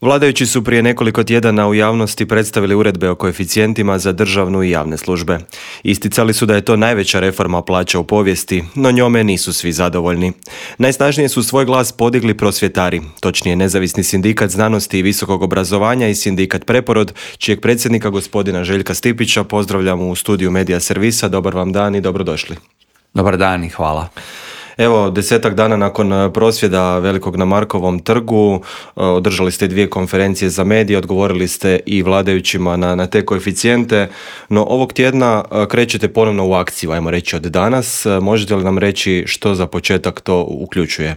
Vladajući su prije nekoliko tjedana u javnosti predstavili uredbe o koeficijentima za državnu i javne službe. Isticali su da je to najveća reforma plaća u povijesti, no njome nisu svi zadovoljni. Najsnažnije su svoj glas podigli prosvjetari, točnije Nezavisni sindikat znanosti i visokog obrazovanja i sindikat Preporod, čijeg predsjednika gospodina Željka Stipića pozdravljamo u studiju Medija Servisa. Dobar vam dan i dobrodošli. Dobar dan i hvala. Evo, 10 dana nakon prosvjeda velikog na Markovom trgu održali ste 2 konferencije za medije, odgovorili ste i vladajućima na te koeficijente, no ovog tjedna krećete ponovno u akciju, ajmo reći od danas. Možete li nam reći što za početak to uključuje?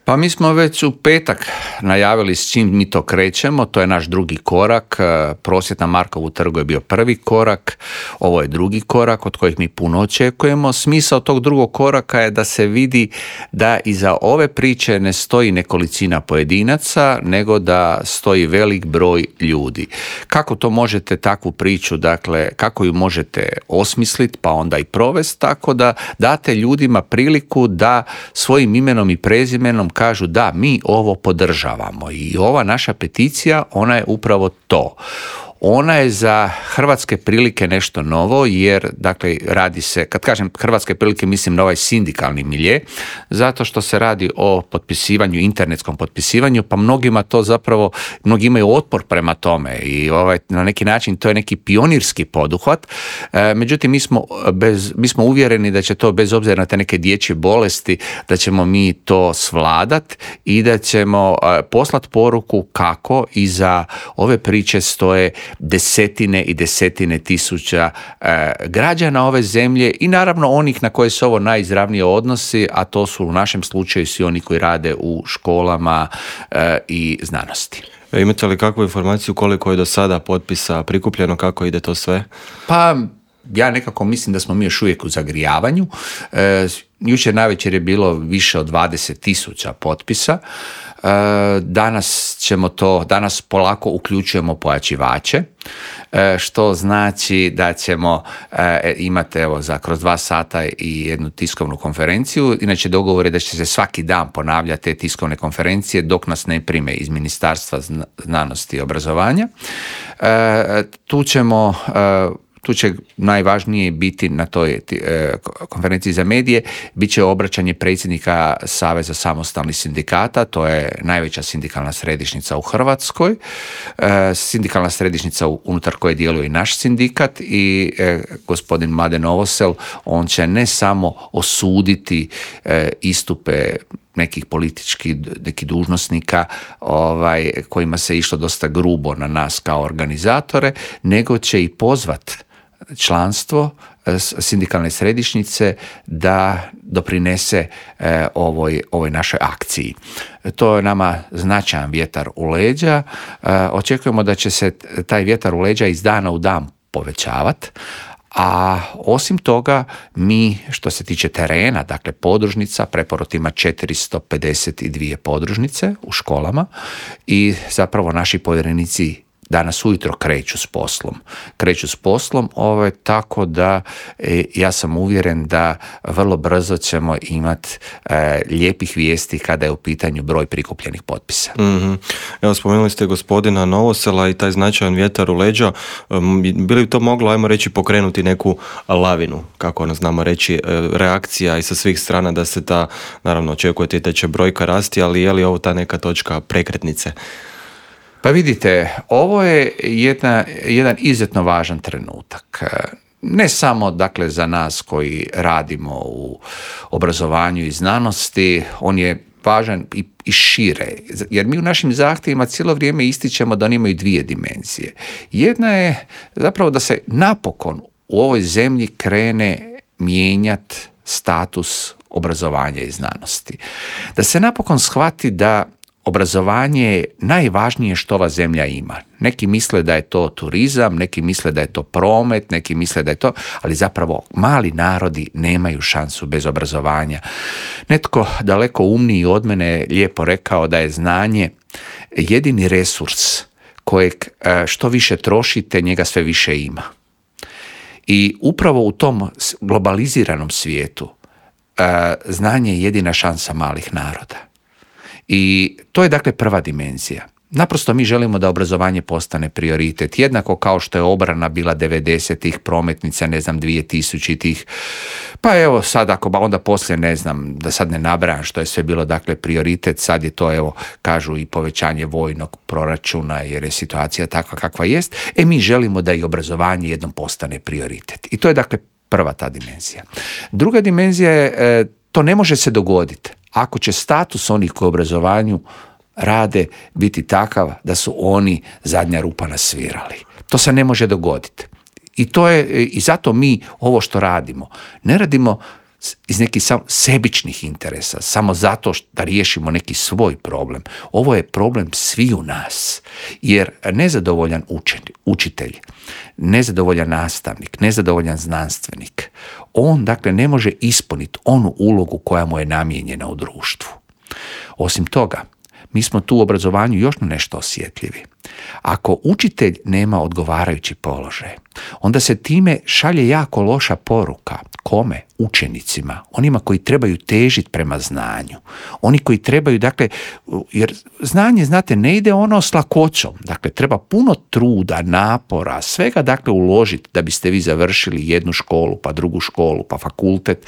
Pa mi smo već u petak najavili s čim mi to krećemo, to je naš drugi korak. Prosvjed na Markovu trgu je bio prvi korak, ovo je drugi korak od kojih mi puno očekujemo. Smisao tog drugog koraka je da se vidi da iza ove priče ne stoji nekolicina pojedinaca, nego da stoji velik broj ljudi. Kako to možete takvu priču, dakle, kako ju možete osmisliti pa onda i provesti, tako da date ljudima priliku da svojim imenom i prezimenom kažu da, mi ovo podržavamo i ova naša peticija, ona je upravo to. Ona je za hrvatske prilike nešto novo jer, dakle, radi se, kad kažem hrvatske prilike mislim na ovaj sindikalni milje, zato što se radi o potpisivanju, internetskom potpisivanju, pa mnogima to zapravo, mnogi imaju otpor prema tome i na neki način to je neki pionirski poduhvat. Međutim, mi smo uvjereni da će to, bez obzira na te neke dječje bolesti, da ćemo mi to svladat i da ćemo poslati poruku kako iza ove priče stoje desetine i desetine tisuća građana ove zemlje i naravno onih na koje se ovo najizravnije odnosi, a to su u našem slučaju svi oni koji rade u školama i znanosti. Imate li kakvu informaciju koliko je do sada potpisa prikupljeno, kako ide to sve? Pa ja nekako mislim da smo mi još uvijek u zagrijavanju. Jučer navečer je bilo više od 20.000 potpisa. Danas polako uključujemo pojačivače, što znači da ćemo imati kroz 2 sata i jednu tiskovnu konferenciju. Inače, dogovor je da će se svaki dan ponavljati te tiskovne konferencije dok nas ne prime iz Ministarstva znanosti i obrazovanja. Tu će najvažnije biti na toj konferenciji za medije, bit će obraćanje predsjednika Saveza samostalnih sindikata, to je najveća sindikalna središnjica u Hrvatskoj, sindikalna središnjica unutar koje djeluje i naš sindikat i gospodin Mladen Novosel, on će ne samo osuditi istupe nekih nekih dužnosnika kojima se išlo dosta grubo na nas kao organizatore, nego će i pozvat članstvo sindikalne središnjice da doprinese ovoj našoj akciji. To je nama značajan vjetar u leđa. Očekujemo da će se taj vjetar u leđa iz dana u dan povećavati. A osim toga, mi što se tiče terena, dakle podružnica, Preporod ima 452 podružnice u školama i zapravo naši povjerenici danas ujutro kreću s poslom, tako da ja sam uvjeren da vrlo brzo ćemo imati lijepih vijesti kada je u pitanju broj prikupljenih potpisa. Mm-hmm. Evo, spomenuli ste gospodina Novosela i taj značajan vjetar u leđa. Bi li to moglo, ajmo reći, pokrenuti neku lavinu, kako ono znamo reći, reakcija i sa svih strana da se ta, naravno očekujete da će brojka rasti, ali je li ovo ta neka točka prekretnice? Pa vidite, ovo je jedan izuzetno važan trenutak. Ne samo, dakle, za nas koji radimo u obrazovanju i znanosti, on je važan i šire, jer mi u našim zahtjevima cijelo vrijeme ističemo da oni imaju 2 dimenzije. Jedna je zapravo da se napokon u ovoj zemlji krene mijenjati status obrazovanja i znanosti. Da se napokon shvati da obrazovanje je najvažnije što ova zemlja ima. Neki misle da je to turizam, neki misle da je to promet, neki misle da je to, ali zapravo mali narodi nemaju šansu bez obrazovanja. Netko daleko umniji od mene je lijepo rekao da je znanje jedini resurs kojeg što više trošite, njega sve više ima. I upravo u tom globaliziranom svijetu znanje je jedina šansa malih naroda. I to je dakle prva dimenzija. Naprosto mi želimo da obrazovanje postane prioritet. Jednako kao što je obrana bila 90-ih, prometnica, 2000-ih. Pa evo sad ako onda poslije da sad ne nabrajam što je sve bilo prioritet, sad je to kažu i povećanje vojnog proračuna jer je situacija takva kakva jest. Mi želimo da i obrazovanje jednom postane prioritet. I to je prva ta dimenzija. Druga dimenzija je to ne može se dogoditi ako će status onih koji u obrazovanju rade biti takav da su oni zadnja rupa na svirali. To se ne može dogoditi. I zato mi ovo što radimo, ne radimo iz nekih sebičnih interesa, samo zato da riješimo neki svoj problem. Ovo je problem sviju nas, jer nezadovoljan učitelj, nezadovoljan nastavnik, nezadovoljan znanstvenik, on ne može ispuniti onu ulogu koja mu je namijenjena u društvu. Osim toga, mi smo tu u obrazovanju još na nešto osjetljivi. Ako učitelj nema odgovarajući položaj, onda se time šalje jako loša poruka. Kome? Učenicima. Onima koji trebaju težiti prema znanju. Oni koji trebaju, jer znanje, znate, ne ide ono s lakoćom. Treba puno truda, napora, svega uložiti da biste vi završili jednu školu, pa drugu školu, pa fakultet.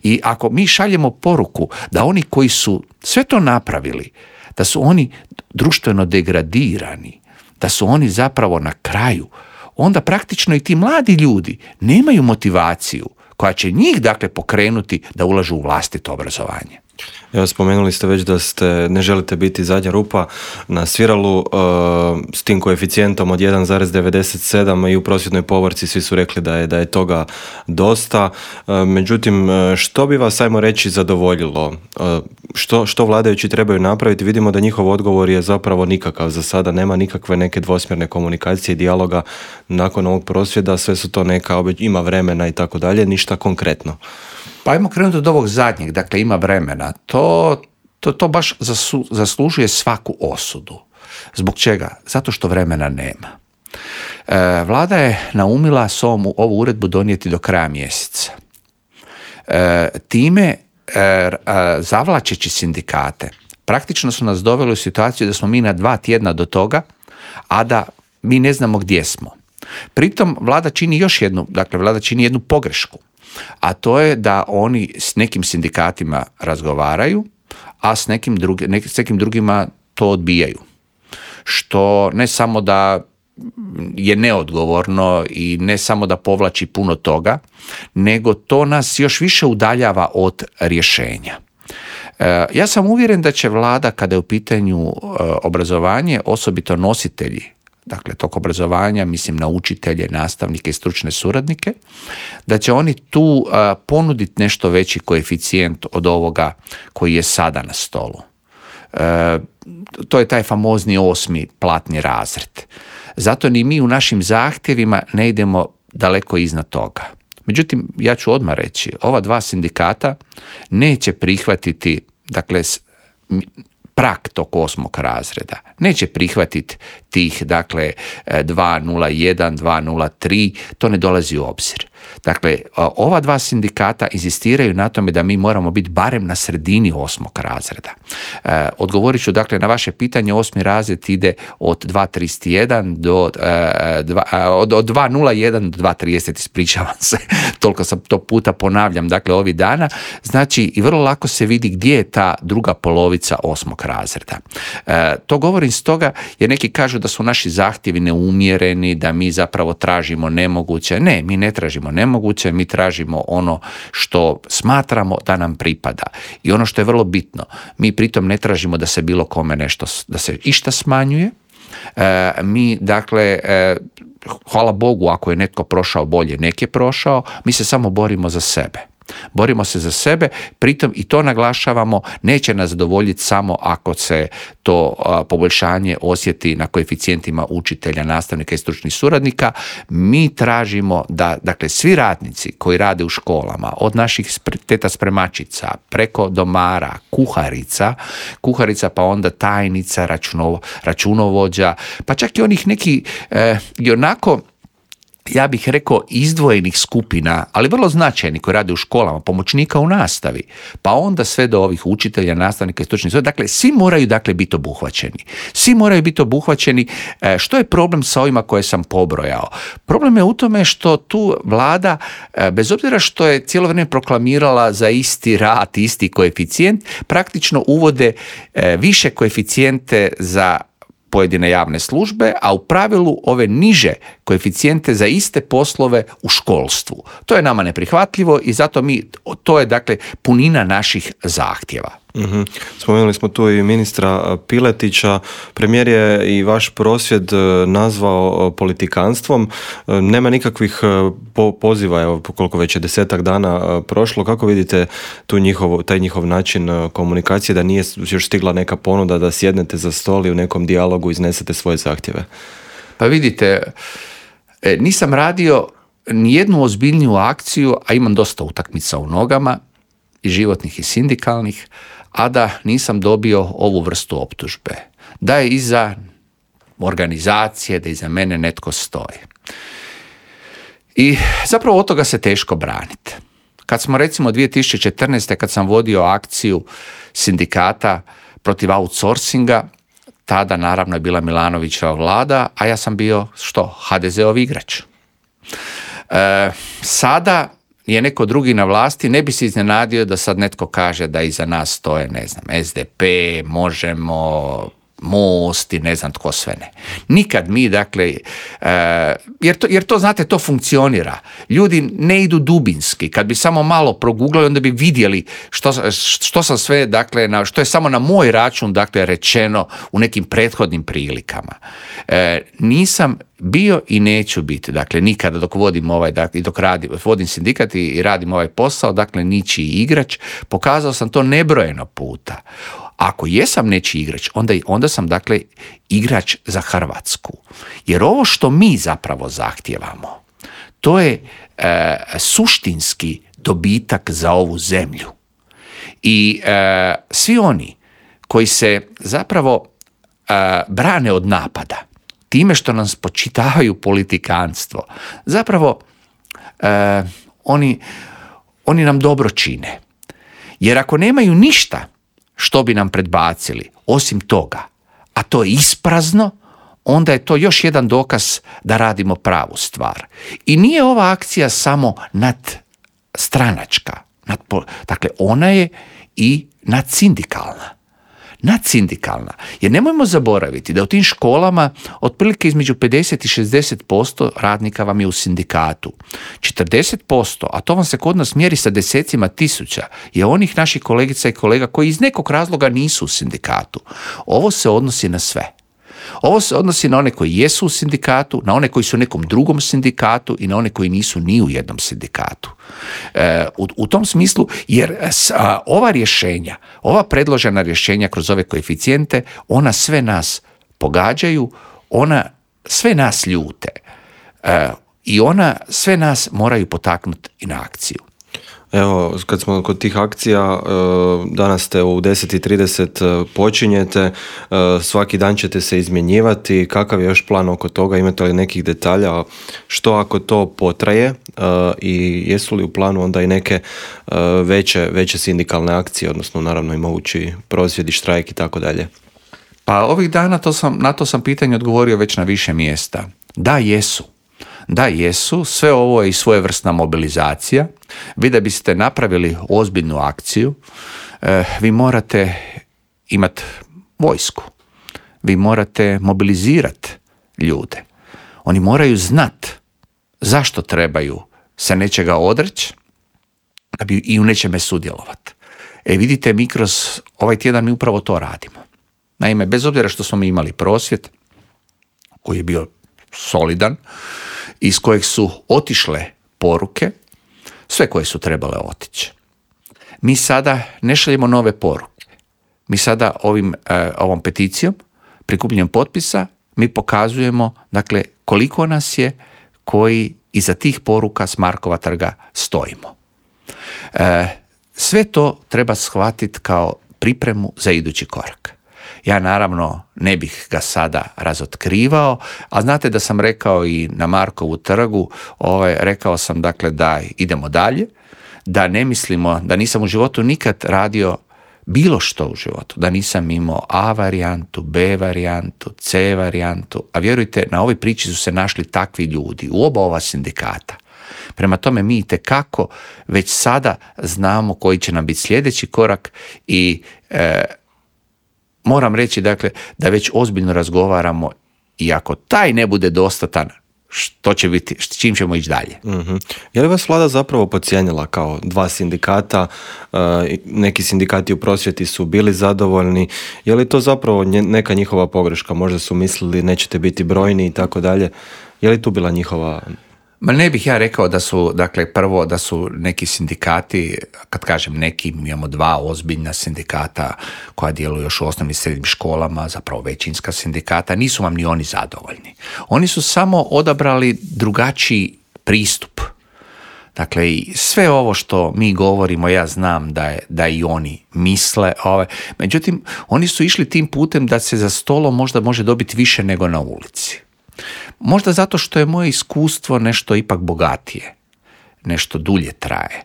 I ako mi šaljemo poruku da oni koji su sve to napravili, da su oni društveno degradirani, da su oni zapravo na kraju, onda praktično i ti mladi ljudi nemaju motivaciju koja će njih pokrenuti da ulažu u vlastito obrazovanje. Evo, spomenuli ste već da ne želite biti zadnja rupa na sviralu s tim koeficijentom od 1,97 i u prosvjetnoj povorci svi su rekli da je toga dosta. Međutim, što bi vas, ajmo reći, zadovoljilo? Što vladajući trebaju napraviti? Vidimo da njihov odgovor je zapravo nikakav za sada, nema nikakve neke dvosmjerne komunikacije i dijaloga nakon ovog prosvjeda, sve su to ima vremena i tako dalje, ništa konkretno. Pa ajmo krenuti od ovog zadnjeg, ima vremena. To baš zaslužuje svaku osudu. Zbog čega? Zato što vremena nema. Vlada je naumila ovu uredbu donijeti do kraja mjeseca. Time, zavlačeći sindikate, praktično su nas doveli u situaciju da smo mi na 2 tjedna do toga, a da mi ne znamo gdje smo. Pritom vlada čini jednu pogrešku. A to je da oni s nekim sindikatima razgovaraju, a s nekim drugima to odbijaju. Što ne samo da je neodgovorno i ne samo da povlači puno toga, nego to nas još više udaljava od rješenja. Ja sam uvjeren da će vlada, kada je u pitanju obrazovanje, osobito nositelji tog obrazovanja, mislim na učitelje, nastavnike i stručne suradnike, da će oni tu ponuditi nešto veći koeficijent od ovoga koji je sada na stolu. To je taj famozni 8. platni razred. Zato ni mi u našim zahtjevima ne idemo daleko iznad toga. Međutim, ja ću odmah reći, ova 2 sindikata neće prihvatiti, prag tog 8. razreda. Neće prihvatiti tih, 201, 203, to ne dolazi u obzir. Ova 2 sindikata inzistiraju na tome da mi moramo biti barem na sredini 8. razreda. Odgovorit ću, na vaše pitanje, 8. razred ide od 231 od 201 do 230, ispričavam se, toliko sam to puta ponavljam, ovih dana. Znači, i vrlo lako se vidi gdje je ta druga polovica 8. razreda. To govorim stoga jer neki kažu da su naši zahtjevi neumjereni, da mi zapravo tražimo nemoguće. Ne, mi ne tražimo nemoguće, mi tražimo ono što smatramo da nam pripada. I ono što je vrlo bitno, mi pritom ne tražimo da se bilo kome nešto, da se išta smanjuje. Mi, hvala Bogu, ako je netko prošao bolje, nek je prošao, mi se samo borimo za sebe. Borimo se za sebe, pritom i to naglašavamo, neće nas zadovoljiti samo ako se to poboljšanje osjeti na koeficijentima učitelja, nastavnika i stručnih suradnika. Mi tražimo da, svi radnici koji rade u školama, od naših teta spremačica, preko domara, kuharica pa onda tajnica, računovođa, pa čak i onih neki i onako ja bih rekao, izdvojenih skupina, ali vrlo značajni, koji rade u školama, pomoćnika u nastavi, pa onda sve do ovih učitelja, nastavnika i stručnih. Dakle, svi moraju biti obuhvaćeni. Svi moraju biti obuhvaćeni. Što je problem sa ovima koje sam pobrojao? Problem je u tome što tu vlada, bez obzira što je cijelo vrijeme proklamirala za isti rad, isti koeficijent, praktično uvode više koeficijente za pojedine javne službe, a u pravilu ove niže koeficijente za iste poslove u školstvu. To je nama neprihvatljivo i zato to je punina naših zahtjeva. Mm-hmm. Spomenuli smo tu i ministra Piletića. Premijer je i vaš prosvjed nazvao politikanstvom. Nema nikakvih poziva, evo koliko već je 10 dana prošlo. Kako vidite taj njihov način komunikacije, da nije još stigla neka ponuda da sjednete za stol i u nekom dijalogu iznesete svoje zahtjeve? Pa vidite, nisam radio nijednu ozbiljniju akciju, a imam dosta utakmica u nogama, i životnih i sindikalnih, a da nisam dobio ovu vrstu optužbe. Da je iza organizacije, da iza mene netko stoji. I zapravo od toga se teško braniti. Kad smo recimo 2014. kad sam vodio akciju sindikata protiv outsourcinga, tada naravno je bila Milanovićeva vlada, a ja sam bio HDZ-ov igrač. Sada je neko drugi na vlasti, ne bi se iznenadio da sad netko kaže da iza nas stoje, ne znam, SDP, Možemo, Most i ne znam tko sve ne. Nikad mi, jer to, znate, to funkcionira. Ljudi ne idu dubinski. Kad bi samo malo proguglali, onda bi vidjeli što sam sve, što je samo na moj račun, rečeno u nekim prethodnim prilikama. Nisam bio i neću biti, nikada dok vodim vodim sindikat i radim ovaj posao, ničiji igrač. Pokazao sam to nebrojeno puta. Ako jesam nečiji igrač, onda sam igrač za Hrvatsku. Jer ovo što mi zapravo zahtijevamo, to je suštinski dobitak za ovu zemlju. I svi oni koji se zapravo brane od napada, time što nam spočitavaju politikanstvo, zapravo oni nam dobro čine. Jer ako nemaju ništa što bi nam predbacili osim toga, a to je isprazno, onda je to još jedan dokaz da radimo pravu stvar. I nije ova akcija samo nadstranačka, ona je i nadsindikalna. Jer nemojmo zaboraviti da u tim školama otprilike između 50 i 60% radnika vam je u sindikatu. 40%, a to vam se kod nas mjeri sa desecima tisuća, je onih naših kolegica i kolega koji iz nekog razloga nisu u sindikatu. Ovo se odnosi na sve. Ovo se odnosi na one koji jesu u sindikatu, na one koji su u nekom drugom sindikatu i na one koji nisu ni u jednom sindikatu. U tom smislu, jer ova rješenja, ova predložena rješenja kroz ove koeficijente, ona sve nas pogađaju, ona sve nas ljute i ona sve nas moraju potaknuti i na akciju. Evo, kad smo kod tih akcija, danas ste u 10:30 počinjete, svaki dan ćete se izmjenjivati. Kakav je još plan oko toga? Imate li nekih detalja? Što ako to potraje i jesu li u planu onda i neke veće sindikalne akcije, odnosno naravno i mogući prosvjedi, štrajk i tako dalje? Pa ovih dana na to sam pitanje odgovorio već na više mjesta. Da, jesu. Sve ovo je i svojevrsna mobilizacija. Vi da biste napravili ozbiljnu akciju, vi morate imati vojsku. Vi morate mobilizirati ljude. Oni moraju znati zašto trebaju se nečega odreći da bi i u nečeme sudjelovati. Vidite, mi kroz ovaj tjedan mi upravo to radimo. Naime, bez obzira što smo mi imali prosvjed koji je bio solidan, iz kojeg su otišle poruke, sve koje su trebale otići. Mi sada ne šaljemo nove poruke. Mi sada ovom peticijom, prikupljanjem potpisa, mi pokazujemo koliko nas je koji iza tih poruka s Markova trga stojimo. Sve to treba shvatiti kao pripremu za idući korak. Ja naravno ne bih ga sada razotkrivao, a znate da sam rekao i na Markovu trgu, rekao sam dakle da idemo dalje, da ne mislimo, da nisam u životu nikad radio bilo što u životu, da nisam imao A varijantu, B varijantu, C varijantu, a vjerujte, na ovoj priči su se našli takvi ljudi u oba ova sindikata. Prema tome mi itekako već sada znamo koji će nam biti sljedeći korak i moram reći dakle da već ozbiljno razgovaramo i ako taj ne bude dostatan, što će biti, s čim ćemo ići dalje. Mm-hmm. Je li vas vlada zapravo podcijenila kao dva sindikata? Neki sindikati u prosvjeti su bili zadovoljni. Je li to zapravo neka njihova pogreška? Možda su mislili nećete biti brojni i tako dalje. Je li tu bila njihova... Ma ne bih ja rekao da su, dakle, prvo da su neki sindikati, kad kažem neki, imamo dva ozbiljna sindikata koja djeluju još u osnovnim i srednjim školama, zapravo većinska sindikata, nisu vam ni oni zadovoljni. Oni su samo odabrali drugačiji pristup. Dakle, sve ovo što mi govorimo, ja znam da i oni misle, međutim, oni su išli tim putem da se za stolom možda može dobiti više nego na ulici. Možda zato što je moje iskustvo nešto ipak bogatije, nešto dulje traje.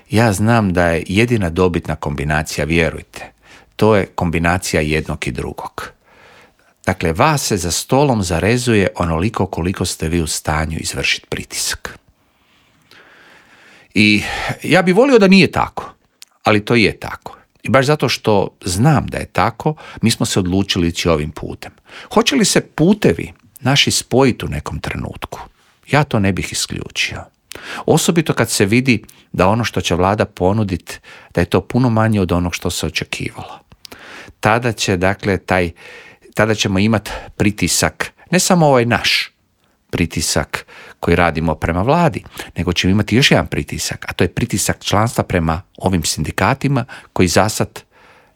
Ja znam da je jedina dobitna kombinacija, vjerujte, to je kombinacija jednog i drugog. Dakle, vas se za stolom zarezuje onoliko koliko ste vi u stanju izvršiti pritisak. I ja bih volio da nije tako, ali to je tako. I baš zato što znam da je tako, mi smo se odlučili ići ovim putem. Hoće li se putevi naši spojiti u nekom trenutku? Ja to ne bih isključio. Osobito kad se vidi da ono što će vlada ponuditi, da je to puno manje od onog što se očekivalo. Tada ćemo imati pritisak, ne samo ovaj naš pritisak koji radimo prema vladi, nego ćemo imati još jedan pritisak, a to je pritisak članstva prema ovim sindikatima koji zasad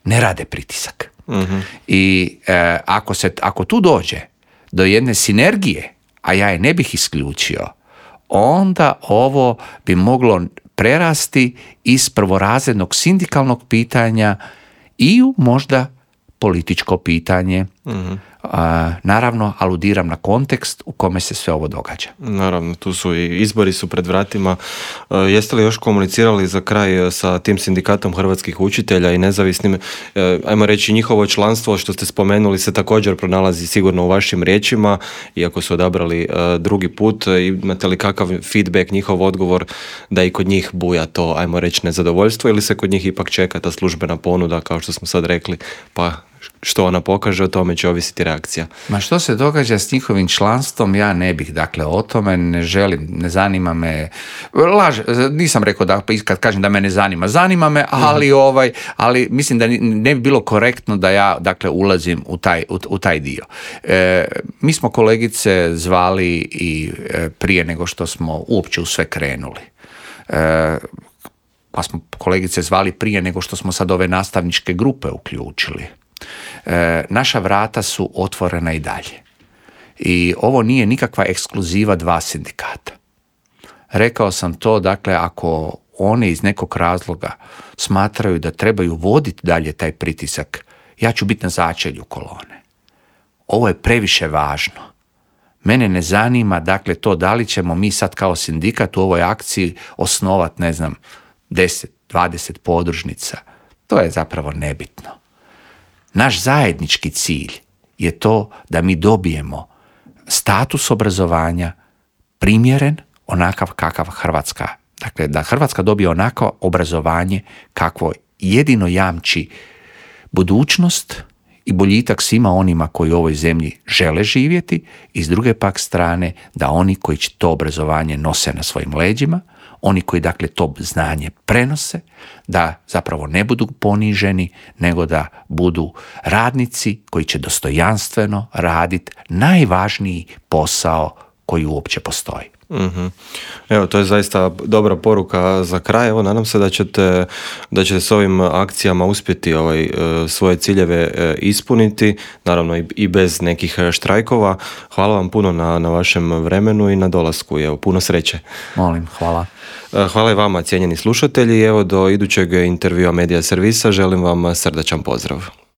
ne rade pritisak. Mm-hmm. I ako tu dođe do jedne sinergije, a ja je ne bih isključio, onda ovo bi moglo prerasti iz prvorazrednog sindikalnog pitanja i u možda političko pitanje. Mm-hmm. Naravno, aludiram na kontekst u kome se sve ovo događa. Naravno, tu su i izbori su pred vratima. Jeste li još komunicirali za kraj sa tim sindikatom hrvatskih učitelja i nezavisnim, ajmo reći, njihovo članstvo što ste spomenuli se također pronalazi sigurno u vašim riječima, iako su odabrali drugi put. Imate li kakav feedback, njihov odgovor da i kod njih buja to, ajmo reći, nezadovoljstvo, ili se kod njih ipak čeka ta službena ponuda, kao što smo sad rekli, pa što ona pokaže, o tome će ovisiti reakcija. Ma što se događa s njihovim članstvom, ja ne bih, dakle, o tome ne želim, ne zanima me, nisam rekao da kad kažem da me ne zanima, zanima me, ali mislim da ne bi bilo korektno da ja, dakle, ulazim u taj dio. Mi smo kolegice zvali i prije nego što smo uopće u sve krenuli. Pa smo kolegice zvali prije nego što smo sad ove nastavničke grupe uključili. Naša vrata su otvorena i dalje. I ovo nije nikakva ekskluziva dva sindikata. Rekao sam to, dakle, ako oni iz nekog razloga smatraju da trebaju voditi dalje taj pritisak, ja ću biti na začelju kolone. Ovo je previše važno. Mene ne zanima, dakle, to da li ćemo mi sad kao sindikat u ovoj akciji osnovati, 10, 20 podružnica. To je zapravo nebitno. Naš zajednički cilj je to da mi dobijemo status obrazovanja primjeren onakav kakav Hrvatska. Dakle, da Hrvatska dobije onako obrazovanje kakvo jedino jamči budućnost i boljitak svima onima koji u ovoj zemlji žele živjeti, i s druge pak strane da oni koji će to obrazovanje nose na svojim leđima, oni koji, dakle, to znanje prenose, da zapravo ne budu poniženi, nego da budu radnici koji će dostojanstveno raditi najvažniji posao koji uopće postoji. Mm-hmm. Evo, to je zaista dobra poruka za kraj. Evo, nadam se da ćete s ovim akcijama uspjeti svoje ciljeve ispuniti, naravno i bez nekih štrajkova. Hvala vam puno na vašem vremenu i na dolasku. Evo, puno sreće. Molim, hvala. Hvala i vama, cijenjeni slušatelji. Evo, do idućeg intervjua Medija Servisa želim vam srdačan pozdrav.